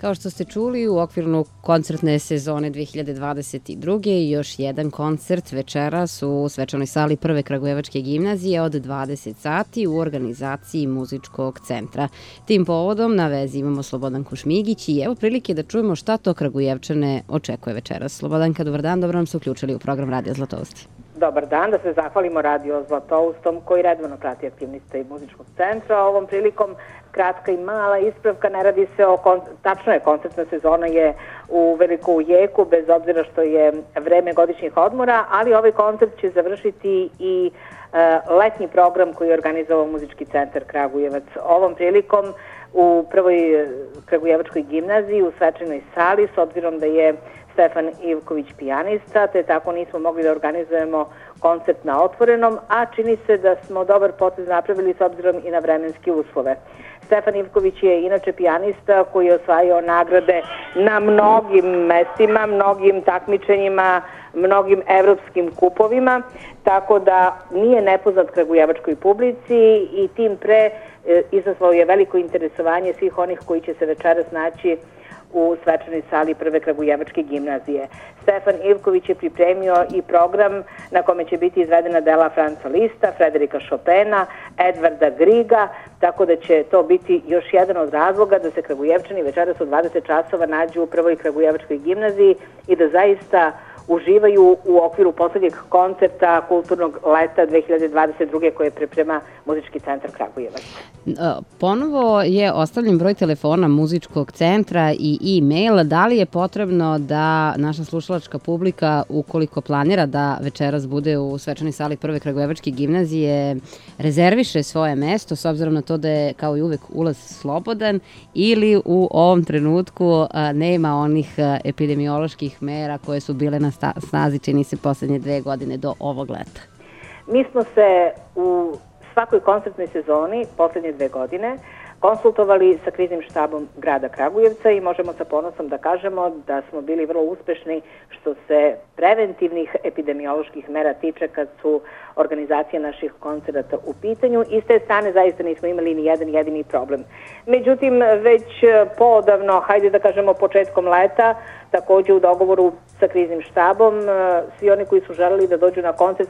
Kao što ste čuli, u okviru koncertne sezone 2022. još jedan koncert večeras u svečanoj sali Prve Kragujevačke gimnazije od 20 sati u organizaciji Muzičkog centra. Tim povodom na vezi imamo Slobodanku Šmigić i evo prilike da čujemo šta to Kragujevčane očekuje večeras. Slobodanka, dobar dan, dobro nam se uključili u program Radio Zlatousti. Dobar dan, da se zahvalimo Radio Zlatoustom koji redovno prati aktivnosti Muzičkog centra. Ovom prilikom kratka i mala ispravka, ne radi se o, tačno je, koncertna sezona je u veliko jeku, bez obzira što je vreme godišnjih odmora, ali ovaj koncert će završiti i letnji program koji je organizovao Muzički centar Kragujevac. Ovom prilikom u Prvoj Kragujevačkoj gimnaziji u svečanoj sali, s obzirom da je Stefan Ivković pijanista, te tako nismo mogli da organizujemo koncert na otvorenom, a čini se da smo dobar potez napravili s obzirom i na vremenske uslove. Stefan Ivković je inače pijanista koji je osvajao nagrade na mnogim mestima, mnogim takmičenjima, mnogim evropskim kupovima, tako da nije nepoznat kragujevačkoj publici i tim pre izazvao je veliko interesovanje svih onih koji će se večeras naći u svečanoj sali Prve Kragujevačke gimnazije. Stefan Ivković je pripremio i program na kome će biti izvedena dela Franca Lista, Frederika Chopina, Edvarda Griga, tako da će to biti još jedan od razloga da se Kragujevčani večeras u 20 časova nađu u Prvoj Kragujevačkoj gimnaziji i da zaista uživaju u okviru poslednjeg koncerta kulturnog leta 2022. koje priprema Muzički centar Kragujevac. Ponovo je ostavljen broj telefona Muzičkog centra i e-mail. Da li je potrebno da naša slušalačka publika, ukoliko planira da večeras bude u svečanoj sali Prve Kragujevačke gimnazije, rezerviše svoje mesto, s obzirom na to da je kao i uvek ulaz slobodan, ili u ovom trenutku nema onih epidemioloških mera koje su bile na snazi, čini se, poslednje 2 godine do ovog leta? Mi smo se u svakoj koncertnoj sezoni poslednje 2 godine konsultovali sa kriznim štabom grada Kragujevca i možemo sa ponosom da kažemo da smo bili vrlo uspešni što se preventivnih epidemioloških mera tiče kad su organizacije naših koncerata u pitanju i s te strane zaista nismo imali ni jedan jedini problem. Međutim, već poodavno, hajde da kažemo početkom leta, takođe u dogovoru sa kriznim štabom, svi oni koji su želeli da dođu na koncert,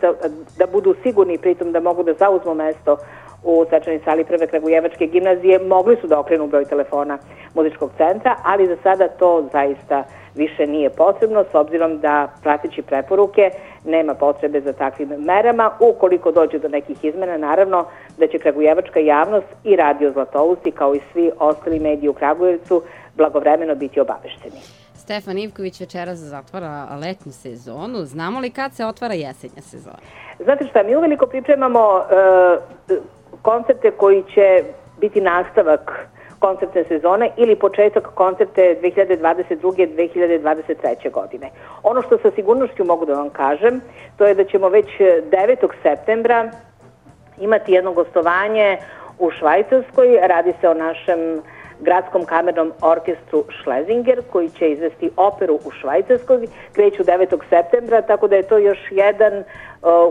da budu sigurni pritom da mogu da zauzmu mesto u svečanoj sali Prve Kragujevačke gimnazije, mogli su da okrenu broj telefona Muzičkog centra, ali za sada to zaista više nije potrebno, s obzirom da, prateći preporuke, nema potrebe za takvim merama. Ukoliko dođe do nekih izmena, naravno da će kragujevačka javnost i Radio Zlatousti, kao i svi ostali mediji u Kragujevcu, blagovremeno biti obavešteni. Stefan Ivković večeras zatvara letnju sezonu. Znamo li kad se otvara jesenja sezona? Znate šta, mi uveliko pripremamo koncerte koji će biti nastavak koncertne sezone ili početak koncerte 2022-2023. godine. Ono što sa sigurnošću mogu da vam kažem, to je da ćemo već 9. septembra imati jedno gostovanje u Švajcarskoj. Radi se o našem gradskom kamernom orkestru Schlesinger koji će izvesti operu u Švajcarskoj, kreću 9. septembra, tako da je to još jedan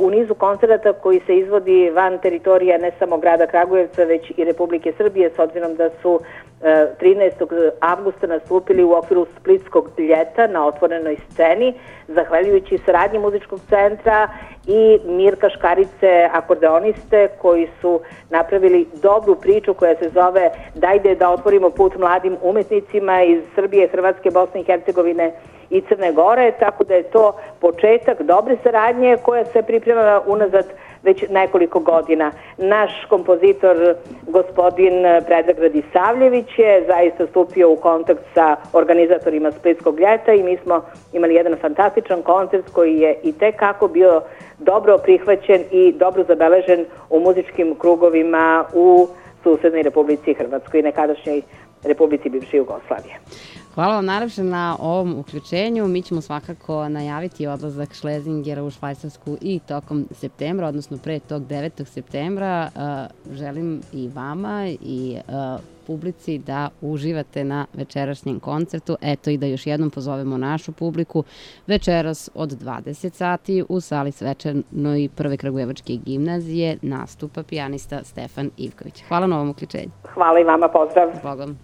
u nizu koncerata koji se izvodi van teritorija ne samo grada Kragujevca, već i Republike Srbije, s obzirom da su 13. avgusta nastupili u okviru Splitskog ljeta na otvorenoj sceni, zahvaljujući saradnji Muzičkog centra i Mirka Škarice, akordeoniste, koji su napravili dobru priču koja se zove "Dajde da otvorimo put mladim umetnicima" iz Srbije, Hrvatske, Bosne i Hercegovine i Crne Gore, tako da je to početak dobre saradnje koja se priprema unazad već nekoliko godina. Naš kompozitor, gospodin Predrag Radisavljević, je zaista stupio u kontakt sa organizatorima Splitskog ljeta i mi smo imali jedan fantastičan koncert koji je i tekako bio dobro prihvaćen i dobro zabeležen u muzičkim krugovima u susednoj Republici Hrvatskoj i nekadašnjoj Republici bivše Jugoslavije. Hvala vam najlepše na ovom uključenju. Mi ćemo svakako najaviti odlazak Schlesingera u Švajcarsku i tokom septembra, odnosno pre tog 9. septembra. Želim i vama i publici da uživate na večerašnjem koncertu. Eto i da još jednom pozovemo našu publiku večeras od 20 sati u sali svečanoj Prve Kragujevačke gimnazije nastupa pijanista Stefan Ivković. Hvala na ovom uključenju. Hvala i vama, pozdrav. S Bogom.